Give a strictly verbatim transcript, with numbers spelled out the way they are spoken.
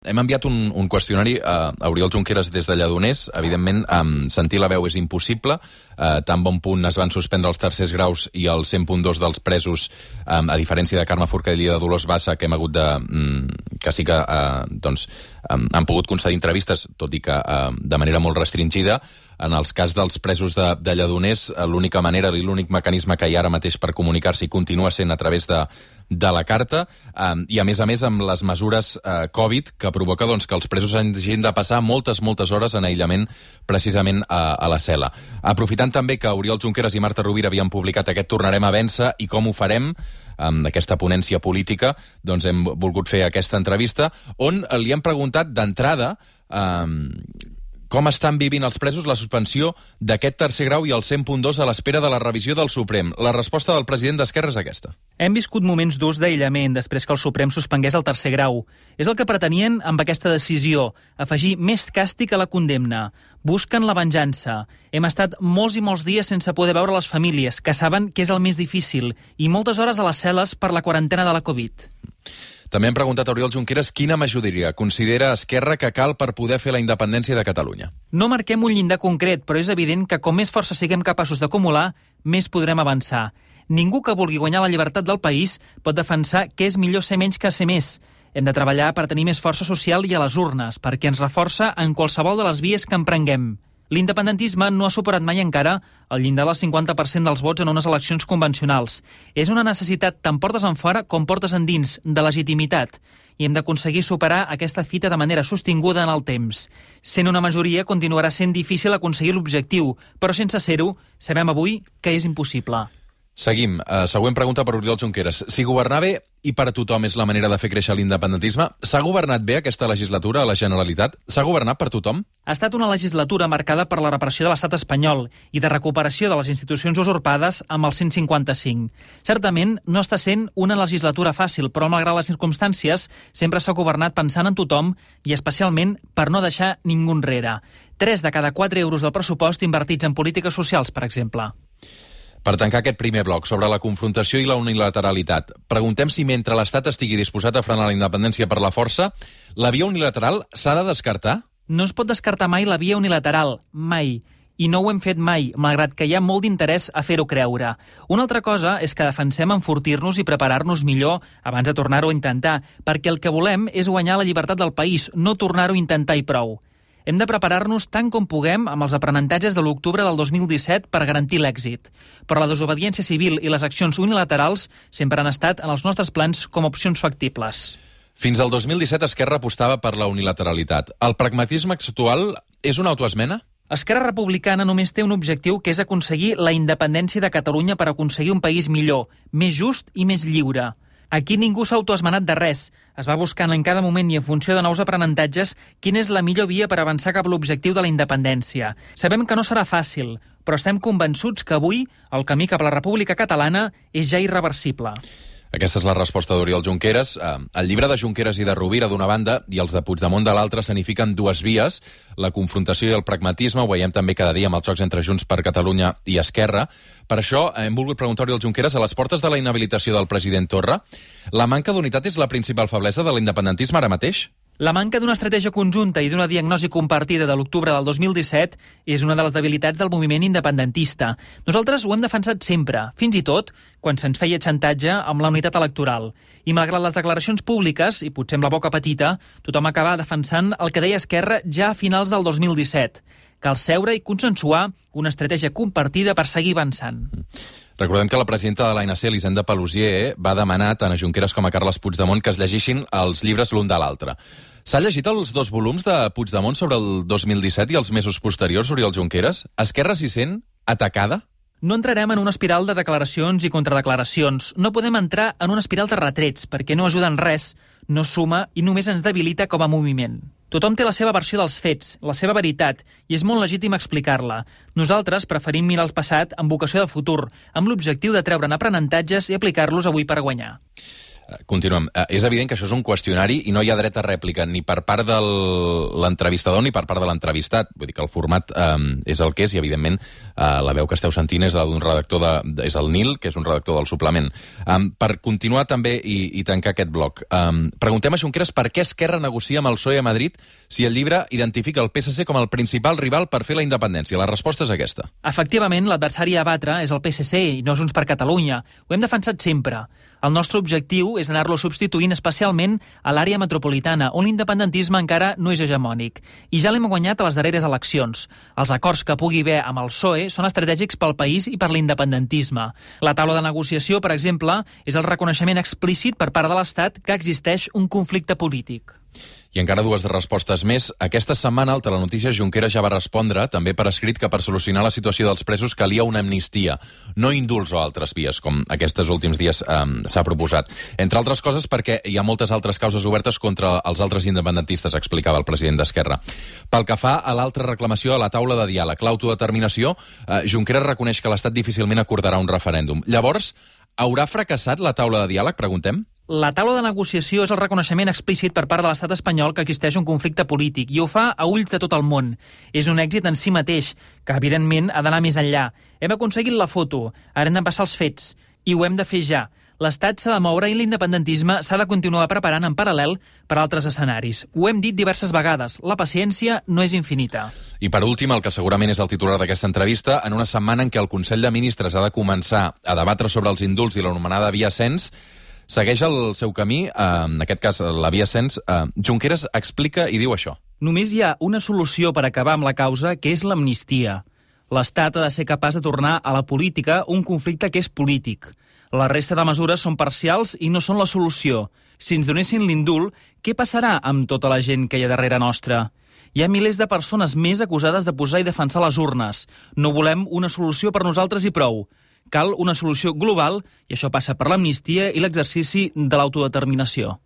Hem enviat un, un qüestionari a, a Oriol Junqueras des de Lledoners. Evidentment, um, sentir la veu és impossible. Uh, tan bon punt es van suspendre els tercers graus i el cent punt dos dels presos, um, a diferència de Carme Forcadell i de Dolors Bassa, que hem hagut de... Um, que sí que uh, doncs, um, han pogut concedir entrevistes, tot i que uh, de manera molt restringida. En els cas dels presos de, de Lledoners, l'única manera i l'únic mecanisme que hi ha ara mateix per comunicar-se i continua sent a través de, de la carta, um, i a més a més amb les mesures uh, Covid, que provoca doncs, que els presos hagin de passar moltes, moltes hores en aïllament precisament a, a la cel·la. Aprofitant també que Oriol Junqueras i Marta Rovira havien publicat aquest Tornarem a vèncer i com ho farem, amb aquesta ponència política, doncs hem volgut fer aquesta entrevista, on li hem preguntat d'entrada um, com estan vivint els presos la suspensió d'aquest tercer grau i el cent punt dos a l'espera de la revisió del Suprem. La resposta del president d'Esquerra és aquesta. Hem viscut moments durs d'aïllament després que el Suprem suspengués el tercer grau. És el que pretenien amb aquesta decisió, afegir més càstig a la condemna. Busquen la venjança. Hem estat molts i molts dies sense poder veure les famílies, que saben que és el més difícil, i moltes hores a les cel·les per la quarantena de la Covid. També hem preguntat a Oriol Junqueras quina majoria considera Esquerra que cal per poder fer la independència de Catalunya. No marquem un llindar concret, però és evident que com més força siguem capaços d'acumular, més podrem avançar. Ningú que vulgui guanyar la llibertat del país pot defensar que és millor ser menys que ser més. Hem de treballar per tenir més força social i a les urnes, perquè ens reforça en qualsevol de les vies que emprenguem. L'independentisme no ha superat mai encara el llindar del cinquanta per cent dels vots en unes eleccions convencionals. És una necessitat tant portes enfora com portes endins, de legitimitat. I hem d'aconseguir superar aquesta fita de manera sostinguda en el temps. Sent una majoria, continuarà sent difícil aconseguir l'objectiu, però sense ser-ho, sabem avui que és impossible. Seguim. Uh, següent pregunta per Oriol Junqueras. Si governar bé i per a tothom és la manera de fer créixer l'independentisme, s'ha governat bé aquesta legislatura a la Generalitat? S'ha governat per tothom? Ha estat una legislatura marcada per la repressió de l'estat espanyol i de recuperació de les institucions usurpades amb el cent cinquanta-cinc. Certament, no està sent una legislatura fàcil, però malgrat les circumstàncies, sempre s'ha governat pensant en tothom i especialment per no deixar ningú enrere. Tres de cada quatre euros del pressupost invertits en polítiques socials, per exemple. Per tancar aquest primer bloc sobre la confrontació i la unilateralitat, preguntem si mentre l'Estat estigui disposat a frenar la independència per la força, la via unilateral s'ha de descartar? No es pot descartar mai la via unilateral, mai. I no ho hem fet mai, malgrat que hi ha molt d'interès a fer-ho creure. Una altra cosa és que defensem enfortir-nos i preparar-nos millor abans de tornar-ho a intentar, perquè el que volem és guanyar la llibertat del país, no tornar-ho a intentar i prou. Hem de preparar-nos tant com puguem amb els aprenentatges de l'octubre del dos mil disset per garantir l'èxit. Però la desobediència civil i les accions unilaterals sempre han estat en els nostres plans com a opcions factibles. Fins al dos mil disset Esquerra apostava per la unilateralitat. El pragmatisme actual és una autoesmena? Esquerra Republicana només té un objectiu, que és aconseguir la independència de Catalunya per aconseguir un país millor, més just i més lliure. Aquí ningú s'ha autoesmenat de res. Es va buscant en cada moment i en funció de nous aprenentatges quina és la millor via per avançar cap a l'objectiu de la independència. Sabem que no serà fàcil, però estem convençuts que avui el camí cap a la República Catalana és ja irreversible. Aquesta és la resposta d'Oriol Junqueras. El llibre de Junqueras i de Rovira d'una banda i els de Puigdemont de l'altra s'anifiquen dues vies, la confrontació i el pragmatisme. Ho veiem també cada dia amb els xocs entre Junts per Catalunya i Esquerra. Per això hem volgut preguntar a Oriol Junqueras, a les portes de la inhabilitació del president Torra, la manca d'unitat és la principal feblesa de l'independentisme ara mateix? La manca d'una estratègia conjunta i d'una diagnosi compartida de l'octubre del dos mil disset és una de les debilitats del moviment independentista. Nosaltres ho hem defensat sempre, fins i tot quan se'ns feia xantatge amb la unitat electoral. I malgrat les declaracions públiques, i potser amb la boca petita, tothom acaba defensant el que deia Esquerra ja a finals del dos mil disset. Cal seure i consensuar una estratègia compartida per seguir avançant. Recordem que la presidenta de l'A N C, Elisenda Paluzie, va demanar tant a Junqueras com a Carles Puigdemont que es llegeixin els llibres l'un de l'altre. S'ha llegit els dos volums de Puigdemont sobre el dos mil disset i els mesos posteriors, Oriol Junqueras? Esquerra s'hi sent atacada? No entrarem en una espiral de declaracions i contradeclaracions. No podem entrar en una espiral de retrets, perquè no ajuda en res, no suma i només ens debilita com a moviment. Tothom té la seva versió dels fets, la seva veritat, i és molt legítim explicar-la. Nosaltres preferim mirar el passat amb vocació de futur, amb l'objectiu de treure'n aprenentatges i aplicar-los avui per guanyar. Continuem. És evident que això és un qüestionari i no hi ha dret a rèplica ni per part de l'entrevistador ni per part de l'entrevistat. Vull dir que el format eh, és el que és i, evidentment, eh, la veu que esteu sentint és d'un redactor de, és el Nil, que és un redactor del suplement. Um, per continuar també i, i tancar aquest bloc, um, preguntem a Junqueras per què Esquerra negocia amb el P S O E a Madrid si el llibre identifica el P S C com el principal rival per fer la independència. La resposta és aquesta. Efectivament, l'adversari a batre és el P S C i no Junts per Catalunya. Ho hem defensat sempre. El nostre objectiu és anar-lo substituint especialment a l'àrea metropolitana, on l'independentisme encara no és hegemònic. I ja l'hem guanyat a les darreres eleccions. Els acords que pugui haver amb el P S O E són estratègics pel país i per l'independentisme. La taula de negociació, per exemple, és el reconeixement explícit per part de l'Estat que existeix un conflicte polític. I encara dues respostes més. Aquesta setmana el Telenotícies Junqueras ja va respondre, també per escrit, que per solucionar la situació dels presos calia una amnistia, no indults o altres vies, com aquests últims dies eh, s'ha proposat. Entre altres coses perquè hi ha moltes altres causes obertes contra els altres independentistes, explicava el president d'Esquerra. Pel que fa a l'altra reclamació a la taula de diàleg, l'autodeterminació, eh, Junqueras reconeix que l'Estat difícilment acordarà un referèndum. Llavors, haurà fracassat la taula de diàleg, preguntem? La taula de negociació és el reconeixement explícit per part de l'estat espanyol que existeix un conflicte polític i ho fa a ulls de tot el món. És un èxit en si mateix, que evidentment ha d'anar més enllà. Hem aconseguit la foto, ara hem de passar els fets, i ho hem de fer ja. L'Estat s'ha de moure i l'independentisme s'ha de continuar preparant en paral·lel per a altres escenaris. Ho hem dit diverses vegades, la paciència no és infinita. I per últim, el que segurament és el titular d'aquesta entrevista, en una setmana en què el Consell de Ministres ha de començar a debatre sobre els indults i l'anomenada via cens, segueix el seu camí, eh, en aquest cas la via cens. Eh, Junqueras explica i diu això. Només hi ha una solució per acabar amb la causa, que és l'amnistia. L'Estat ha de ser capaç de tornar a la política un conflicte que és polític. La resta de mesures són parcials i no són la solució. Si ens donessin l'indult, què passarà amb tota la gent que hi ha darrere nostra? Hi ha milers de persones més acusades de posar i defensar les urnes. No volem una solució per nosaltres i prou. Cal una solució global i això passa per l'amnistia i l'exercici de l'autodeterminació.